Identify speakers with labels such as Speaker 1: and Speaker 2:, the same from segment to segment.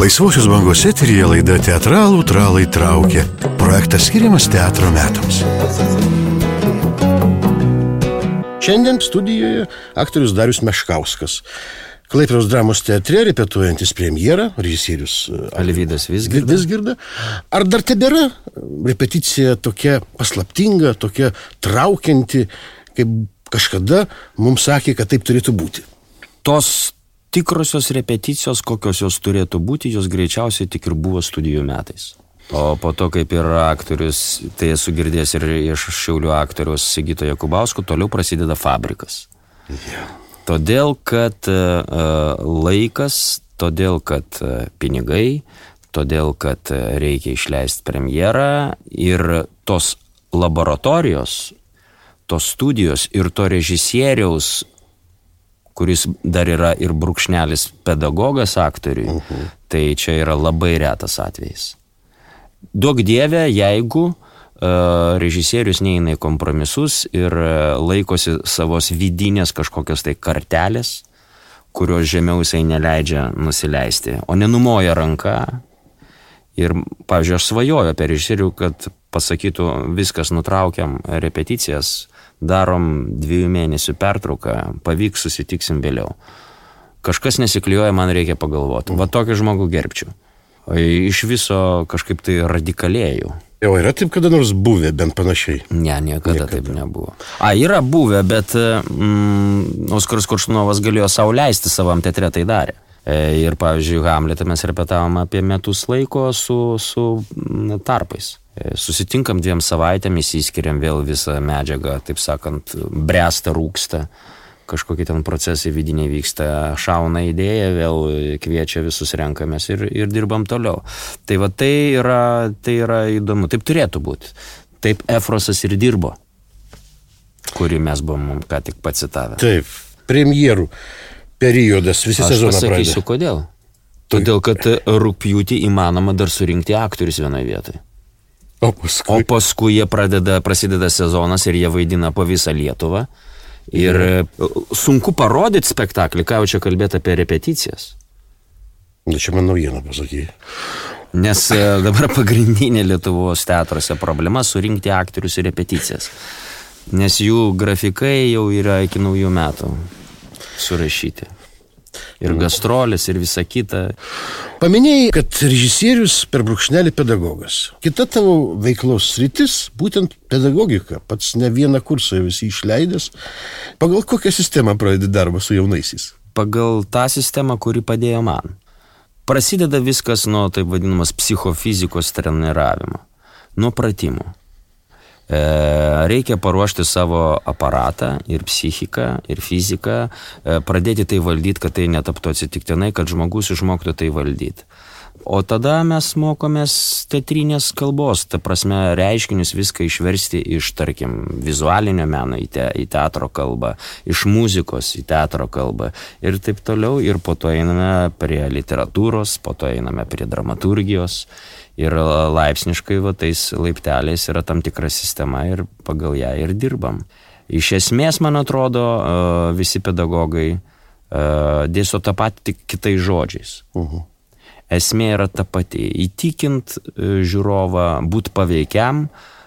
Speaker 1: Laisvosios bangos eteryje laida Teatralų tralai traukia. Projektas skiriamas teatro metams. Šiandien studijoje aktorius Darius Meškauskas. Klaipėdos dramos teatre repetuojantis premjerą, režisierius
Speaker 2: Alvydas Vizgirda.
Speaker 1: Ar dar tebėra repeticija tokia paslaptinga, tokia traukianti, kaip kažkada mums sakė, kad taip turėtų būti?
Speaker 2: Tos tikrosios repeticijos, kokios jos turėtų būti, jos greičiausiai tik ir buvo studijų metais. O po to, kaip ir aktorius, tai esu girdėjęs ir iš Šiaulių aktoriaus Sigito Jakubausko, toliau prasideda fabrikas. Todėl, kad laikas, todėl, kad pinigai, todėl, kad reikia išleisti premjerą ir tos laboratorijos, tos studijos ir to režisieriaus, kuris dar yra ir brūkšnelis pedagogas aktoriui, tai čia yra labai retas atvejis. Duok Dieve, jeigu režisierius neina į kompromisus ir laikosi savos vidinės kažkokios tai kartelės, kurios žemiau jisai neleidžia nusileisti, o nenumoja ranką. Ir, pavyzdžiui, aš svajoju apie režisierių, kad pasakytų, viskas, nutraukiam repeticijas, darom 2 mėnesių pertrauką, pavyks, susitiksim vėliau. Kažkas nesikliuoja, man reikia pagalvoti. Va tokį žmogų gerbčiau. O iš viso kažkaip tai radikalėjau.
Speaker 1: Jau yra taip kada nors buvę, bent panašiai?
Speaker 2: Ne, niekada taip nebuvo. Yra buvę, bet Oskaras Koršunovas galėjo sau leisti, savam teatre tai darė. Ir, pavyzdžiui, Hamletą mes repetavom apie metus laiko su tarpais. Susitinkam 2 savaitėmis, įskiriam vėl visą medžiagą, taip sakant, bręsta, rūksta, kažkokie ten procesai vidiniai vyksta, šauna idėja, vėl kviečia visus, renkamės ir dirbam toliau. Tai va, tai yra įdomu, taip turėtų būti. Taip Efrosas ir dirbo, kurį mes buvom ką tik pacitavę.
Speaker 1: Taip, premjerų periodas, visi sezoną pradeda.
Speaker 2: Aš pasakysiu, kodėl. Todėl, kad rugpjūtį įmanoma dar surinkti aktorius vienoje vietoje. O paskui prasideda sezonas ir jie vaidina po visą Lietuvą. Ir sunku parodyti spektaklį, ką jau čia kalbėti apie repeticijas.
Speaker 1: Čia man naujiena pasakė.
Speaker 2: Nes dabar pagrindinė Lietuvos teatruose problema surinkti aktorius ir repeticijas. Nes jų grafikai jau yra iki naujų metų surašyti. Ir gastrolės, ir visa kita.
Speaker 1: Paminėjai, kad režisierius per brūkšnelį pedagogas. Kita tavo veiklos sritis, būtent pedagogika. Pats ne vieną kursą visi išleidęs. Pagal kokią sistemą pradedi darbą su jaunaisiais?
Speaker 2: Pagal tą sistemą, kuri padėjo man. Prasideda viskas nuo taip vadinamas psichofizikos treniravimo. Nuo pratimų. Reikia paruošti savo aparatą ir psichiką, ir fiziką, pradėti tai valdyti, kad tai netaptų atsitiktinai, kad žmogus išmoktų tai valdyti. O tada mes mokomės teatrinės kalbos, ta prasme reiškinius viską išversti iš, tarkim, vizualinio meno į teatro kalbą, iš muzikos į teatro kalbą ir taip toliau. Ir po to einame prie literatūros, po to einame prie dramaturgijos. Ir laipsniškai tais laipteliais yra tam tikra sistema ir pagal ją ir dirbam. Iš esmės, man atrodo, visi pedagogai dėsto tą patį, tik kitais žodžiais. Esmė yra ta pati. Įtikint žiūrovą, būt paveikiam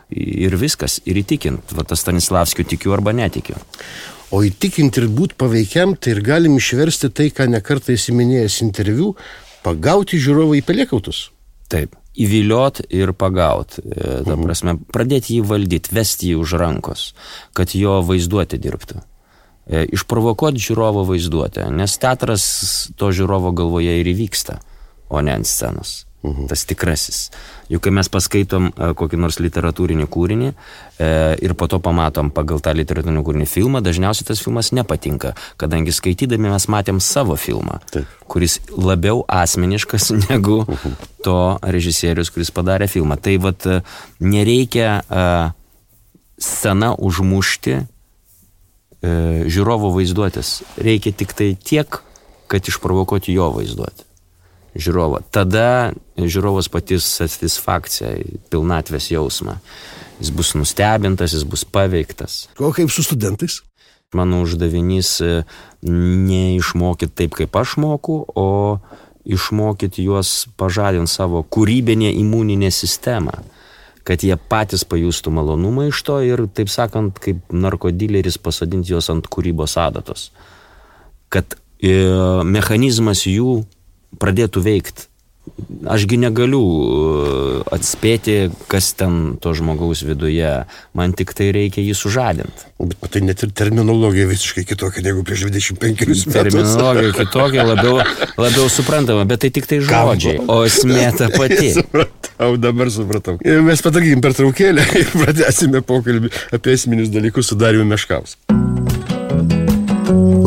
Speaker 2: ir viskas. Ir įtikint. Va, tas Stanislavskiu tikiu arba netikiu.
Speaker 1: O įtikint ir būt paveikiam, tai ir galim išversti tai, ką nekartą įsiminėjęs interviu, pagauti žiūrovą į pelėkautus.
Speaker 2: Taip. Įviliot ir pagaut. Ta prasme, pradėti jį valdyti, vesti jį už rankos, kad jo vaizduotė dirbtų. Išprovokuoti žiūrovo vaizduotę, nes teatras to žiūrovo galvoje ir įvyksta, o ne ant scenos. Tas tikrasis. Juk kai mes paskaitom kokį nors literatūrinį kūrinį ir po to pamatom pagal tą literatūrinį kūrinį filmą, dažniausiai tas filmas nepatinka, kadangi skaitydami mes matėm savo filmą, kuris labiau asmeniškas negu to režisierius, kuris padarė filmą. Tai vat nereikia sceną užmušti žiūrovo vaizduotės. Reikia tik tai tiek, kad išprovokuoti jo vaizduotę. Žiūrovą. Tada žiūrovas patys satisfakciją, pilnatvės jausmą. Jis bus nustebintas, jis bus paveiktas.
Speaker 1: O kaip su studentais?
Speaker 2: Mano uždavinys neišmokyti taip, kaip aš moku, o išmokyti juos pažadinti savo kūrybinę imuninę sistemą, kad jie patys pajustų malonumą iš to ir, taip sakant, kaip narkodileris pasodinti juos ant kūrybos adatos. Kad mechanizmas jų pradėtų veikti. Ašgi negaliu atspėti, kas ten to žmogaus viduje. Man tik tai reikia jį sužadinti.
Speaker 1: Bet tai net ir terminologija visiškai kitokia negu prieš 25 metus.
Speaker 2: Terminologija kitokia, labiau suprantama, bet tai tik tai žodžiai, o esmė ta pati.
Speaker 1: Dabar supratau. Mes padarykim pertraukėlę ir pradėsime pokalbį apie esminius dalykus su Dariumi Meškausku.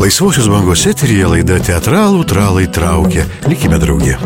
Speaker 1: Laisvosios bangos eteryje laida Teatralų tralai traukia. Likime drauge.